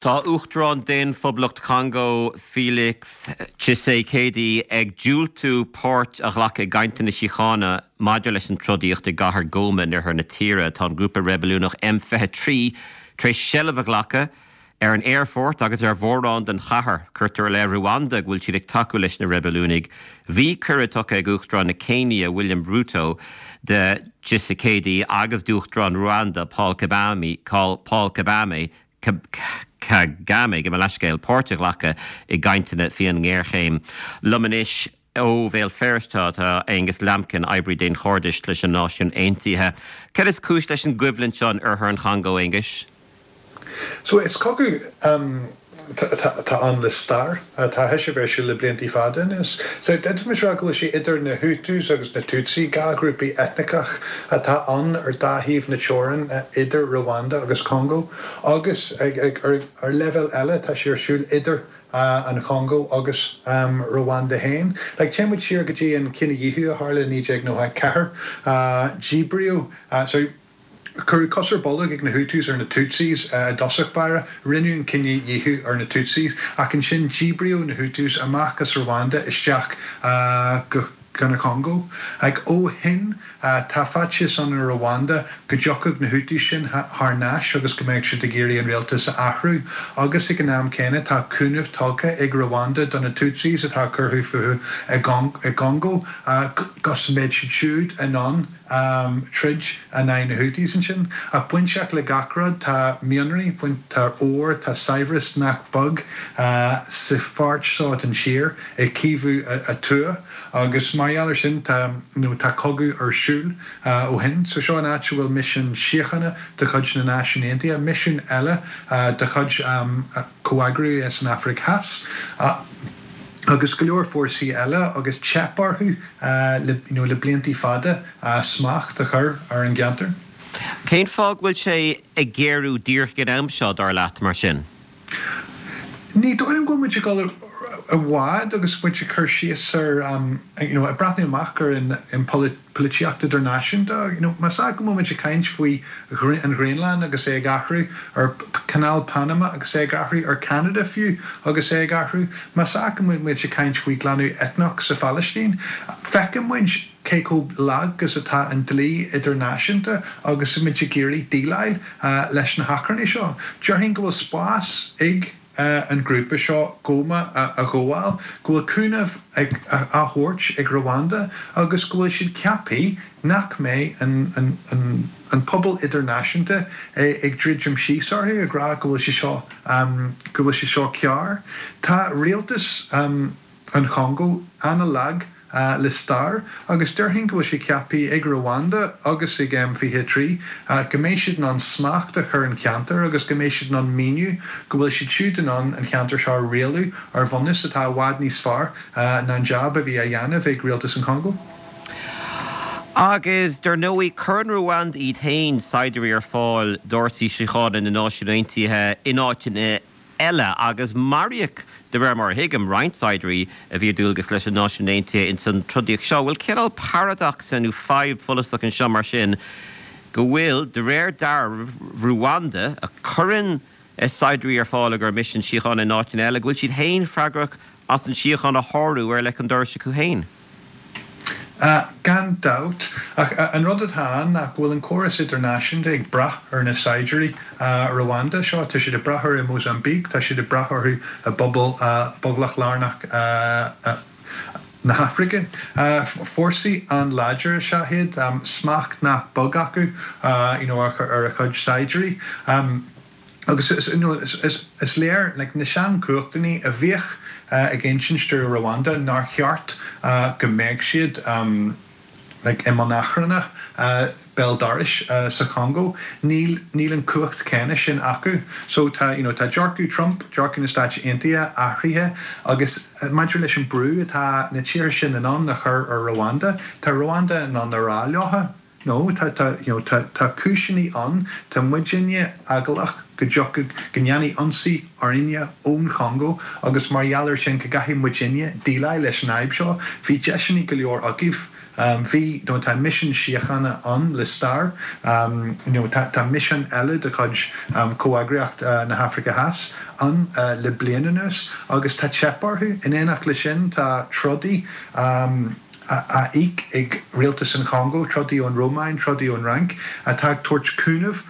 Tá Uachtarán Daon-Phoblacht Chongó, Felix Tshisekedi, ag diúltú páirt a ghlacadh i gcainteanna síochána maidir leis an trodaíocht i gcathair Goma in oirthear na tíre. Tá an grúpa reibiliúnach M23 tar éis seilbh a ghlacadh ar an aerfort agus ar mhórán den chathair. Cuirtear i leith Ruanda go bhfuil siad ag tacú leis na reibiliúnaigh. Bhí cuireadh tugtha ag Uachtarán na Céinia, William Ruto, do Tshisekedi agus d'Uachtarán Ruanda, Paul Kagame, Paul Kagame, Kagame, gabh mo leithscéal, páirt a ghlacadh i gcainteanna faoin ngéarchéim. Liom anois ó Bhéal Feirste tá Aonghus Lambkin, oibrí daonchairdis leis na Náisiúin Aontaithe. Cad is cúis leis an gcoimhlint seo in oirthear an Chongó, Aonghuis? So is cogadh atá ann le stair. Tá sé a bheith ar siúl le bliantaí fada anuas. So d'fhéadfaimis rá go bhfuil sé idir na Hutus agus na Tutsi, 2 ghrúpaí eitneachach atá ann ar dá thaobh na teorann idir Rwanda agus Congó. Agus ar leibhéal eile tá sé ar siúl idir an Chongó agus Rwanda féin. Like téann muid siar go dtí an cinedhíothú a tharla i 1994. Díbríodh, sorry, Cuireadh cos ar bolg ag na Hutus ar na Tutsis i dtosach báire, rinneadh an cinedhíothú ar na Tutsis, ach ansin díbríodh na Hutus amach as Rwanda isteach go an Chongó. Ach ó shin tá faitíos ann i Rwanda go dtiocfadh na Hutus sin thar n-ais agus go mbeadh siad ag iarraidh an rialtas a athrú. Agus ag an am céanna tá cúnamh tugtha ag Rwanda do na Tutsis atá curtha fúthu i gCongó go mbeidh siad siúd in ann troid in aghaidh na Houthis ansin. Ach bainteach le gach rud tá mianraí, tá ór, tá saibhreas nach beag sa pháirt seo den tír, i Kivu Thuaidh, agus mar gheall ar sin tá, nó tá cogadh ar siúl ó shin. So seo an áit a bhfuil misean síochána de chuid na Náisiún Aontaithe, misiún eile de chuid comheagrú san Afraic Theas. agus go leor fórsaí eile agus teip orthu le you know le bliantaí fada smacht a chur ar an gceantar. Cén fáth go bhfuil sé ag géarú díreach ag an am seo, dar leat, mar sin? Ní dóigh liom go bhfuil muid ag dul i bhfad agus muid ag cur síos ar you know ag breathnú amach ar an polaitíocht idirnáisiúnta. You know, más ea go bhfuil muid ag caint faoi an Ghraonlainn agus é ag athrú, ar Chanáil Panama agus é ag athrú, ar Ceanada fiú agus é ag athrú, más ea go bhfuil muid ag caint faoi ghlanadh eitneach sa Phalaistín, feiceann muid cé chomh lag is atá an dlí idirnáisiúnta agus muid ag iarraidh déileáil leis na hachrannaí seo. Déarfainn go bhfuil spás ag. an grúpa seo Goma a ghabháil, go bhfuil cúnamh á thabhairt ag Rwanda agus go bhfuil siad ceaptha nach mbeidh an pobal idirnáisiúnta ag druidim síos orthu ag rá go bhfuil sé seo go bhfuil sé seo cearr. Tá rialtas. an Chongó an-lag le stair agus déarfainn go bhfuil sé ceaptha ag Rwanda agus ag M23 go mbeidh siad in ann smacht a chur an cheantar agus go mbeidh siad in ann míniú go bhfuil siad siúd in ann an cheantar seo a rialú ar bhunús atá i bhfad níos fearr ná an jab a bhí á dhéanamh ag rialtas an Chongó. Agus, dar ndóigh, cuireann Rwanda iad féin saighdiúirí ar fáil d'fhórsaí síochána na Náisiún Aontaithe in áiteanna eile, agus maraíodh, de réir mar a thuigim, roinnt saighdiúirí a bhí ar dualgas leis na Náisiúin Aontaithe ins an trodaíocht seo. Bhfuil cineál paradacsa nó fadhb follasach anseo mar sin go bhfuil, de réir dealraimh, Ruanda, a chuireann saighdiúirí ar fáil i gcomhair misean síochána in áiteanna eile, go bhfuil siad féin freagrach as an síocháin a shárú ar leic an dorais acu féin? Gan dabht. Ach an rud atá ann ná go bhfuil an córas idirnáisiúnta ag brath ar na saighdiúirí Rwanda seo. Tá siad ag brath orthu i Mósaimbíc, tá siad ag brath orthu i bPoblacht Lárnach na hAfraice. Fórsaí an-láidir is ea iad, smacht nach beag acu ar a chuid saighdiúirí. Agus is léir, like, na seanchumhachtanna a bhíodh ag insint do Rwanda nár cheart go mbeadh siad, like, i mbun achranna béal dorais sa Chongó, níl, níl an cumhacht céanna sin acu. So tá, you know, tá dearcadh Trump, dearcadh na Stáit Aontaithe athraithe agus maidir leis an brú atá na tíortha sin in ann a chur ar Rwanda, tá Rwanda in ann a rá leo, No, tá, tá, you know, tá, tá cúiseanna ann, tá muidinne eaglach go dtiocfadh, go ndéanfaí ionsaí orainne ón Chongó agus mar gheall ar sin go gcaithfidh muidinne déileáil leis an fhadhb seo. Bhí deiseanna go leor agaibh. Bhí, nó tá misean síochána ann le stair, you know tá misean eile de chuid Comheagraíocht na hAfraice Theas ann le bliain anuas agus tá teip orthu. In éineacht leis sin tá trodaí á íoc ag rialtas an Chongó, trodaí ón Rómáin, trodaí ón Fhrainc, atá ag tabhairt cúnamh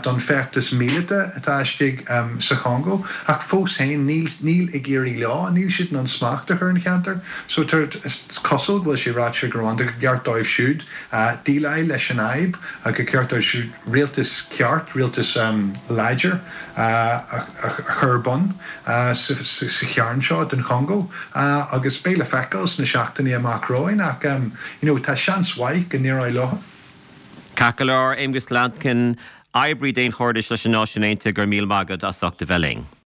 don feachtas míleata atá istigh sa Chongó. Ach fós féin, níl, níl ag éirí leo, níl siad in ann smacht a chur ar an cheantar. So tá, is cosúil go bhfuil sé ráite ag Rwanda gur ceart dóibh siúd déileáil leis an fhadhb, gur ceart dóibh siúd rialtas ceart, rialtas láidir a chur ar bun sa chearn seo den Chongó agus beidh le feiceáil sna seachtainí amach romhainn ach you know tá seans mhaith go n-éireoidh leo. Ceart go leor, Aonghus Lambkin, oibrí daonchairdis leis na Náisiúin Aontaithe, go raibh míle maith agat as ucht a bheith linn.